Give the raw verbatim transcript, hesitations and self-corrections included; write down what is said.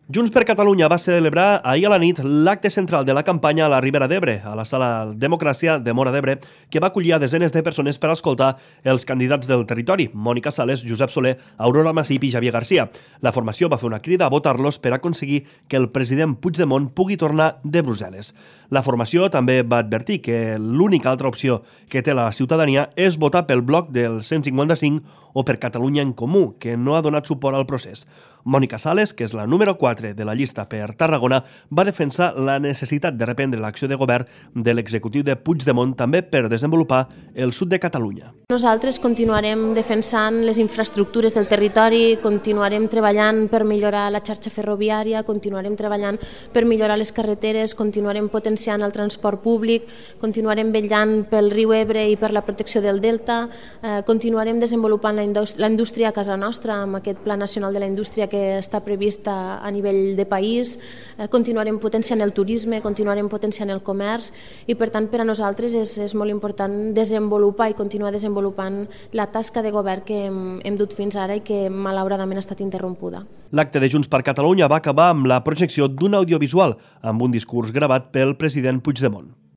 Junts per Catalunya va celebrar ahir a la nit l'acte central de la campanya a la Ribera d'Ebre, a la Sala Democràcia de Móra d'Ebre, que va acollir a desenes de persones per escoltar els candidats del territori, Mònica Sales, Josep Soler, Aurora Masip i Javier García. La formació va fer una crida a votar-los per aconseguir que el president Puigdemont pugui tornar de Brussel·les. La formació també va advertir que l'única altra opció que té la ciutadania és votar pel bloc del cent cinquanta-cinc o per Catalunya en Comú, que no ha donat suport al procés. Mònica Sales, que és la número quatre de la llista per Tarragona, va defensar la necessitat de reprendre l'acció de govern de l'executiu de Puigdemont també per desenvolupar el sud de Catalunya. Nosaltres continuarem defensant les infraestructures del territori, continuarem treballant per millorar la xarxa ferroviària, continuarem treballant per millorar les carreteres, continuarem potenciant el transport públic, continuarem vetllant pel riu Ebre i per la protecció del delta, eh, continuarem desenvolupant la indústria, la indústria a casa nostra amb aquest Pla Nacional de la Indústria que està prevista a nivell de país, eh, continuarem potenciant el turisme, continuarem potenciant el comerç i per tant per a nosaltres és, és molt important desenvolupar i continuar desenvolupant la tasca de govern que hem, hem dut fins ara i que malauradament ha estat interrompuda. L'acte de Junts per Catalunya va acabar amb la projecció d'un audiovisual amb un discurs gravat pel president Puigdemont.